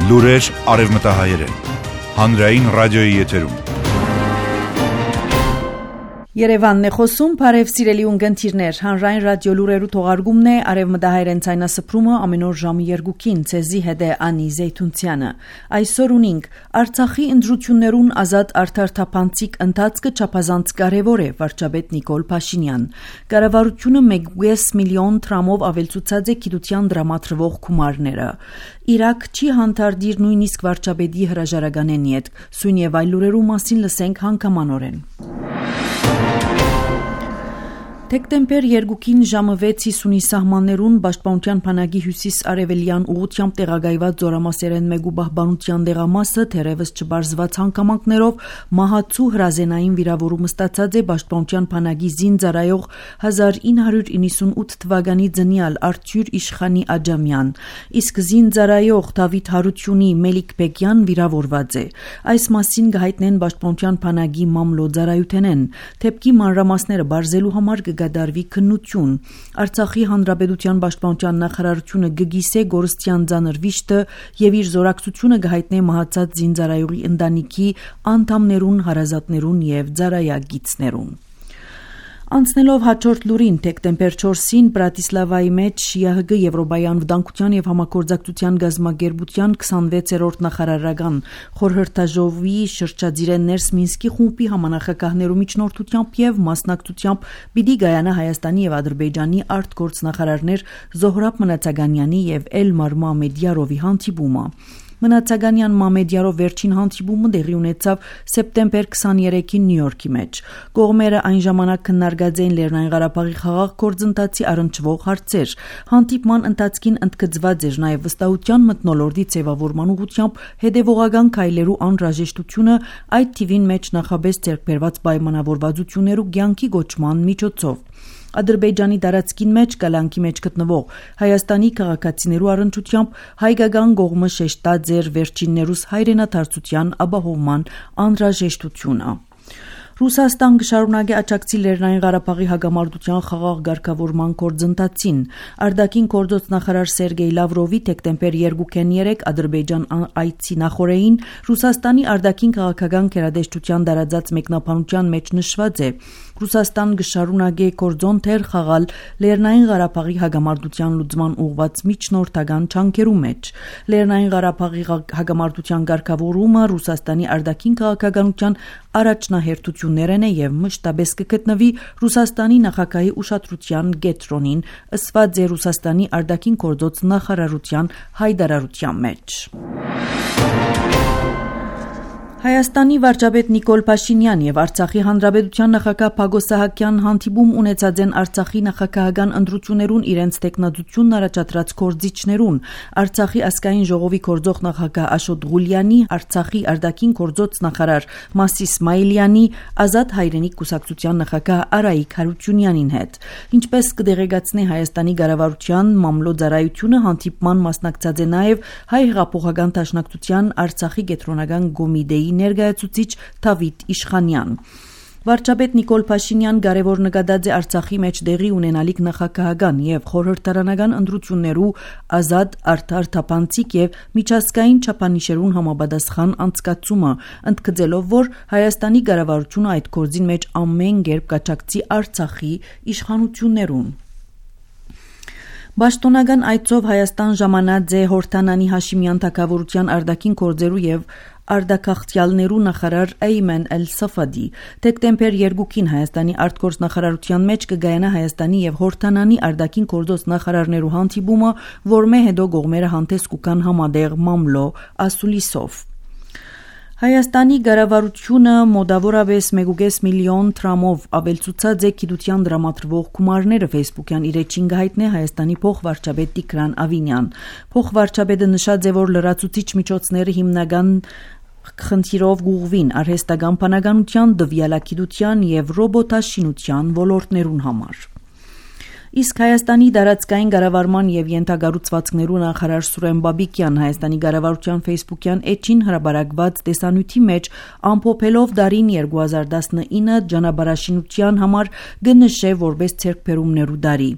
Լուրեր արևմտահայերեն, հանրային ռադիոյի եթերում։ Երևանն է խոսում, բարև սիրելի ունգընտիրներ, հանրային ռադիո լուրերու թողարկումն է, արևմտահայերեն ցայնասփռումը ամեն օր ժամը 2-ին, ցեզի հետ է Անի Զեյթունցյանը։ Այսօր ունենք Արցախի ընտրություններուն ազատ արդար թափանցիկ ընթացքը չափազանց կարևոր է, վարչապետ Նիկոլ Փաշինյան։ Կառավարությունը 1.5 միլիոն դրամով ավելցուցած է գիտության դրամատրվող գումարները։ Իրաք չի հանդարտիր նույնիսկ վարչապետի հրաժարականեն յետ։ Սույն եւ այլ լուրերու մասին լսենք հանգամանորեն։ Դեկտեմբեր 2-ին ժամը 6:50-ի սահմաններուն Պաշտպանության բանակի հյուսիս-արևելյան ուղղությամբ տեղակայված զորամասերեն մեկու պահպանության դեղամասը թերևս չբարձված հանգամանքներով մահացու հրազենային վիրավորում ստացած է Պաշտպանության բանակի զինծառայող 1998 թվականի ծնյալ Արթուր Իշխանի Աջամյան, իսկ զինծառայող Դավիթ Հարությունի Մելիքբեկյան վիրավորված է։ Այս մասին կհայտնեն Պաշտպանության բանակի մամլոյ Թեպքի մանրամասները բարձելու համար կդարվի քննություն։ Արցախի հանրապետության պաշտպանության նախարարությունը կգիսե գորստյան ծանր վիշտը եւ իր զորակցությունը կհայտնե մահացած զինծառայողի ընտանիքի անդամներուն, հարազատներուն եւ ծառայագիցներուն։ Անցնելով հաջորդ լուրին, դեկտեմբեր 4-ին Բրատիսլավայի մեջ ԵՀԳ Եվրոպական վտանգության եւ համագործակցության գազագերբության 26-րդ նախարարական խորհրդաժողովի շրջադիրեն Ներս Մինսկի խումբի համանախագահներու միջնորդությամբ եւ մասնակցությամբ պիտի գայանա Հայաստանի եւ Ադրբեջանի արտգործնախարարներ Զոհրաբ Մնացականյանի եւ Էլմար Մամեդյարովի հանդիպումը։ Մնացականյան Մամեդյարով վերջին հանդիպումը տեղի ունեցավ սեպտեմբեր 23-ին Նյու Յորքի մեջ։ Կողմերը այն ժամանակ քննարկած էին Լեռնային Ղարաբաղի խաղաղ գործընթացի առնչվող հարցեր։ Հանդիպման ընթացքին ընդգծված էր նաև վստահության մթնոլորտի ձևավորման ուղղությամբ հետևողական քայլերու անհրաժեշտությունը, այդ թիվին մեջ նախաբես ձեռքբերված պայմանավորվածություններու կյանքի գոչման միջոցով։ Ադրբեջանի տարածքին մեջ կալանքի մեջ գտնվող Հայաստանի քաղաքացիներու առընչությամբ հայկական կողմը շեշտած էր վերջիններուս հայրենադարձության ապահովման անհրաժեշտությունը։ Ռուսաստան կշարունակի աջակցի Լեռնային Ղարաբաղի հակամարտության խաղաղ ղեկավարման գործընթացին։ Արտաքին գործոց նախարար Սերգեյ Լավրովի դեկտեմբեր 2-ին 3 Ադրբեջան այցի նախորդին Ռուսաստանի արտաքին քաղաքական գերատեսչության տարածած մեկնաբանության մեջ նշված է. Ռուսաստան կշարունակի գործոն թեր խաղալ Լեռնային Ղարաբաղի հակամարտության լուծման ուղղված միջնորդական ջանքերու մեջ։ Լեռնային Ղարաբաղի հակամարտության ղեկավարումը Ռուսաստանի արտաքին քաղաքականության առաջնահերթություններն է եւ մշտապես կգտնվի Ռուսաստանի նախագահի ուշադրության կենտրոնին, ըսված է Ռուսաստանի արտաքին գործոց նախարարության հայտարարության մեջ։ Հայաստանի վարչապետ Նիկոլ Փաշինյան եւ Արցախի հանրապետության նախագահ Պագոս Սահակյան հանդիպում ունեցած են Արցախի նախագահական ընտրություններուն իրենց տեխնատությունն առաջադրած կորձիչներուն, Արցախի ազգային ժողովի կորձող նախագահ Աշոտ Ղուլյանի, Արցախի արտաքին կորձոց նախարար Մասի Իսմայելյանի, Ազատ հայրենիք կուսակցության նախագահ Արայիկ Հարությունյանին հետ։ Ինչպես կդեղեկացնի Հայաստանի կառավարության մամլոյ հանդիպման մասնակցած է նաեւ Հայ հեղափոխական դաշնակցության Արցախի կենտրոնական կոմիտեի ներկայացուցիչ Դավիթ Իշխանյան։ Վարչապետ Նիկոլ Փաշինյան կարևոր նկատած է Արցախի մեջ տեղի ունենալիք նախագահական եւ խորհրդարանական ընտրություններու ազատ, արդար, թափանցիկ եւ միջազգային չափանիշերուն համապատասխան անցկացումը, ընդգծելով, որ Հայաստանի կառավարությունը այդ գործին մեջ ամեն կերպ կաջակցի Արցախի իշխանություններուն։ Պաշտոնական այցով Հայաստան ժամանած է Հորդանանի Հաշիմյան թագավորության արտաքին գործերու եւ արտագաղթյալներու նախարար Էյմեն Էլ-Սաֆադի։ Դեկտեմբեր 2-ին Հայաստանի արտգործնախարարության մեջ կգայանա Հայաստանի եւ Հորդանանի արտաքին գործոց նախարարներու հանդիպումը, որմե հետո կողմերը հանդես կուքան համատեղ մամլո ասուլիսով։ Հայաստանի կառավարությունը մոտավորապես 1.5 միլիոն դրամով ավելցուցած է գիտության դրամատրվող գումարները Facebook-յան իր էջին կհայտնի Հայաստանի փոխվարչապետ Տիգրան Ավինյան։ Փոխվարչապետը նշած է, որ լրացուցիչ միջոցները հիմնական խնդիրով գուղվին արհեստական բանականության, դվյալագիտության եւ ռոբոտաշինության ոլորտներուն համար։ Իսկ Հայաստանի դարածքային կառավարման եւ ենթագառուցվածքներու նախարար Սուրեն Բաբիկյան Հայաստանի կառավարության Facebook-յան էջին հրաբարակված տեսանյութի մեջ ամփոփելով դարին 2019 ջանաբարաշինության համար գնշե որպես ցերկբերումներու դարի։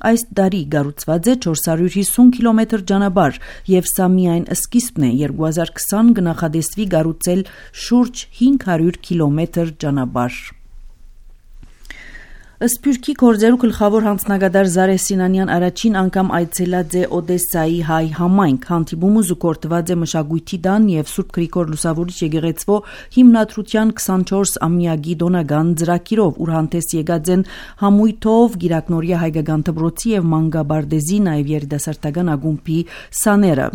Այս դարի կառուցված է 450 կիլոմետր ջանաբար եւ սա միայն սկիզբն է 2020 կնախադեсվի կառուցել շուրջ 500 կիլոմետր ջանաբար։ Սփյուռքի գործերու գլխավոր հանձնագետար Զարե Սինանյան առաջին անգամ այցելած է Օդեսայի հայ համայնք, հանդիպումը զուգորդված է մշակույթի տան եւ Սուրբ Գրիգոր Լուսավորիչ եկեղեցվո հիմնադրության 24-ամյակի դոնական ծրագիրով, ուր հանդես եկած են համույթով Գիրակնորիա հայկական դպրոցի եւ Մանգաբարդեզի նաեւ երիտասարդական ակումբի սաները։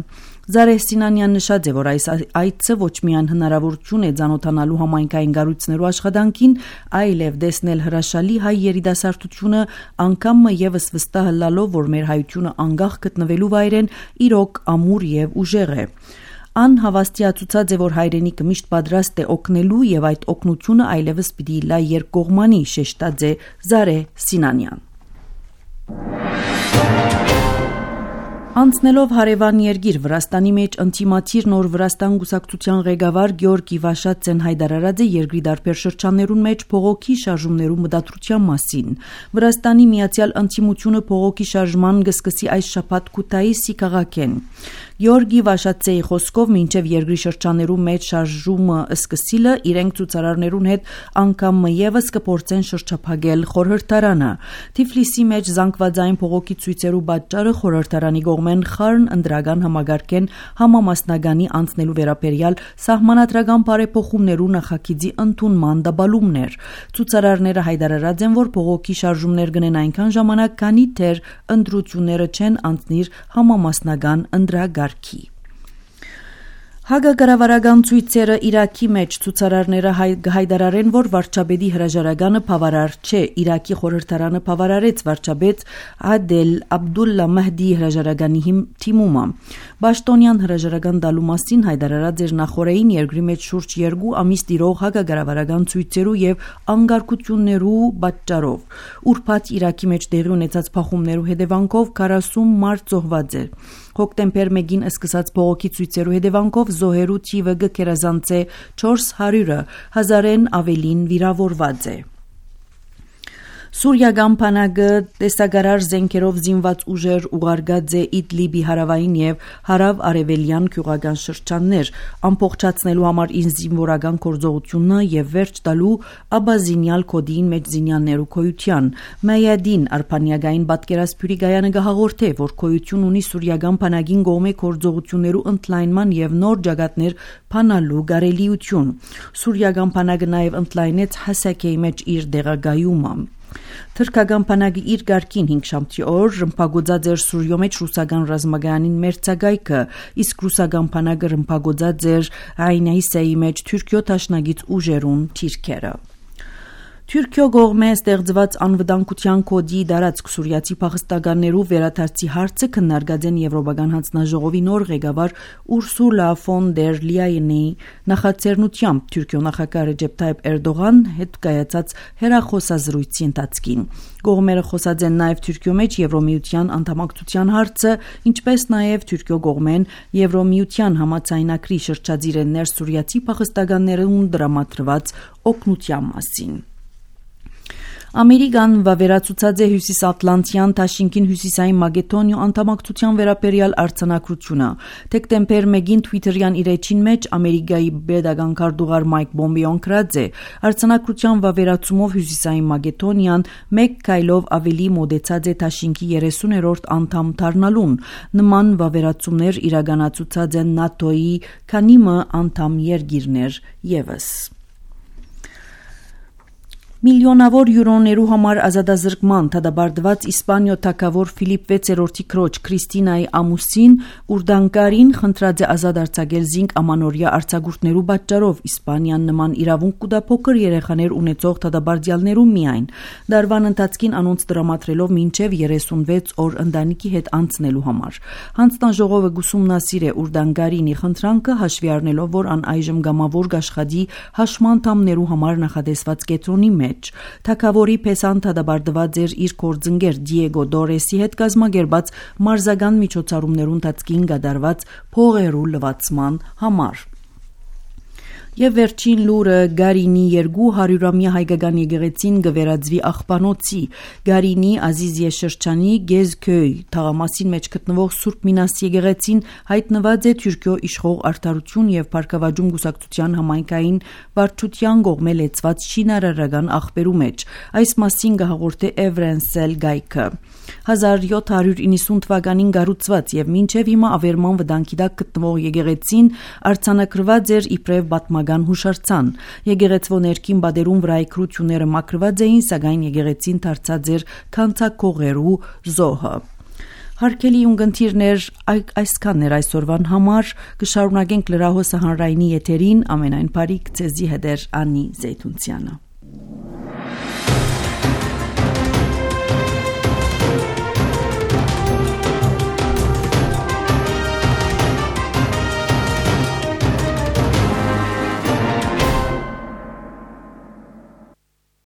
Զարե Սինանյան նշած է, որ այս այցը ոչ միայն հնարավորություն է ծանոթանալու համայնքային կառույցներու աշխատանքին, այլև տեսնել հրաշալի հայ երիտասարդությունը, անգամ եւս վստահ լալով, որ մեր հայությունը անկախ գտնվելու վայրեն իրոք ամուր եւ ուժեղ է։ Ան հավաստիացուցած է, որ հայրենիքը միշտ պատրաստ է օգնելու եւ այդ օգնությունը այլևս պիտի լա երկկողմանի, շեշտած է Զարե Սինանյան։ Անցնելով հարևան երկիր Վրաստանի մեջ ընտիմացիր նոր Վրաստան գուսակցության ղեկավար Գյորգի Վաշածեն հայտարարած է երկրի դարբեր շրջաններուն մեջ փողոքի շարժումներու մտադրության մասին։ Վրաստանի միացյալ ընտիմությունը փողոքի շարժման կսկսի այս շաբաթ Քութայիսի քաղաքեն։ Գյորգի Վաշածեի խոսքով մինչև երկրի շրջաներու մեջ շարժումը սկսիլը իրենք ցուցարարներուն հետ անգամ եւս կփորձեն շրջափակել խորհրդարանը։ Թիֆլիսի մեջ զանգվածային փողոքի ցույցերու պատճառը խորհրդարանի կողմեն խառն ընդրական համագարկեն համամասնագանի անցնելու վերաբերյալ սահմանադրական բարեփոխումներու նախագիծի ընդունման դաբալումներ։ Ցուցարարները հայտարարած են, որ փողոքի շարժումներ գնեն այնքան ժամանակ, քանի դեռ ընտրությունները չեն անցնիր համամասնական ընդրագարկի։ Հագակառավարական ցույցերը Իրաքի մեջ ցուցարարները հայտարարեն, որ վարչապետի հրաժարականը բավարար չէ։ Իրաքի խորհրդարանը բավարարեց վարչապետ Ադել Աբդուլլա Մահդի հրաժարականի թիմումը։ Պաշտոնյան հրաժարական տալու մասին հայտարարած էր նախորդին երկրի մեջ շուրջ 2 ամիս տիրող հագակառավարական ցույցերու եւ անկարգություններու պատճառով։ Ուրբաթ Իրաքի մեջ տեղի ունեցած փախումներու հետևանքով 40 մարդ զոհված է։ Հոկտեմբեր 1-ին սկսած փողոքի ցույցերու հետևանքով զոհերու թիվը գերազանց է 400-ը, 1000-ն ավելին վիրավորված է։ Սուրիական բանակը տեսակարար զենքերով զինված ուժեր ուղարկած է Իդլիբի հարավային եւ հարավ-արևելյան գյուղական շրջաններ, ամբողջացնելու համար զինվորական գործողությունը եւ վերջ տալու աբազինյալ կոդին մեջ զինյաներու քոյության։ Մայադին արբանյակային պատկերասփյուրի գայանը գահաղորդե, որ քոյություն ունի սուրիական բանակին կողմէ գործողություններու ընդլայնման եւ նոր ջագատներ փանալու գարելիություն։ Սուրիական բանակը նաեւ ընդլայնեց Հասակեի մեջ իր դեղագայումը։ Թրքական բանակը իր գարկին 5 շաբթի օր ռմբագոծած էր Սուրիո մեջ ռուսական ռազմագայանին մերձագայքը, իսկ ռուսական բանակը ռմբագոծած էր Այնայսեի մեջ Թուրքիո դաշնագից ուժերուն թիրքերը։ Թուրքիո կողմէ ստեղծված անվտանգության կոդի դարածք սուրիացի փախստականներու վերադարձի հարցը քննարկած են Եվրոպական հանձնաժողովի նոր ղեկավար Ուրսուլա ֆոն դեր Լիայենի նախաձեռնությամբ Թուրքիո նախագահ Ռեջեփ Թայիփ Էրդողան հետ կայացած հերախոսազրույցի ընթացքին։ Կողմերը խոսած են նաև Թուրքիո մեջ Եվրոմիության անդամակցության հարցը, ինչպես նաև Թուրքիո կողմեն Եվրոմիության համաձայնագրի շրջադիր են ներսուրիացի փախստականներուն դրամատրված օգնության մասին։ Ամերիկան վավերացուցած է հյուսիսատլանտյան Թաշինքին հյուսիսային Մակեդոնիա անդամակցության վերաբերյալ արձանագրությունը։ Դեկտեմբեր 1-ին Twitter-յան իր էջին մեջ Ամերիկայի պետական քարտուղար Մայք Պոմպեոն գրած է. արձանագրության վավերացումով հյուսիսային Մակեդոնիան մեկ քայլով ավելի մոտեցած է Թաշինքի 30-րդ անդամ դառնալուն։ Նման վավերացումներ իրականացուցած են ՆԱՏՕ-ի քանի անդամ երկիրներ եւս։ Միլիոնավոր յուրոներու համար ազատազրկման դադարեցված Իսպանիո թագավոր Ֆիլիպ 6-րդի քրոջ Քրիստինայի ամուսին Ուրդանկարին խնդրած է ազատ արձակել զինք ամանորյա արձակուրդներու պատճառով Իսպանիան նման իրավունք կուտա փոքր երեխաներ ունեցող դադարեցյալներու միայն։ Դարվան ընթացքին անոնց դրամատրելով մինչև 36 օր ընտանիքի հետ անցնելու համար։ Հանձնաժողովը գուսումնասիր է Ուրդանկարինի խնդրանքը հաշվի առնելով, որ ան այժմ գամավոր գաշխատի հաշմանդամներու համար նախադեсված կետրոնի մեջ։ մեջ։ Թագավորի փեսան թադաբարդված էր իր գործընկեր Դիեգո Դորեսի հետ կազմակերպած մարզական միջոցառումներու ընթացքին կատարված փողերու լվացման համար։ Եվ վերջին լուրը Գարինի 200-ամյա հայկական եկեղեցին գվերածվի աղբանոցի Գարինի Ազիզիե շրջանի Գեզքոյ թաղամասին մեջ գտնվող Սուրբ Մինաս եկեղեցին հայտնված է Թուրքիո իշխող Արդարություն եւ Փառքավաճում գուսակցության համայնքային վարչության կողմէ լեցված շինարարական աղբերու մեջ։ Այս մասին կհաղորդե Էվրենսել գայքը 1790 թվականին կառուցված եւ մինչեւ հիմա ավերման վտանգի տակ գտնվող եկեղեցին արձանագրված էր իբրև պատմական հուշարձան։ Եկեղեցվո ներքին բادرում վրայի քրությունները մաքրված էին, սակայն եկեղեցին դարձած էր քանցակողերու զոհը։ Հարկելի ունգընթիրներ, այսքանն էր այսօրվան համար, կշարունակենք լրահոսը հանրայինի եթերին, ամենայն բարիք ձեզի հետ էր Անի Զեյթունցյանը։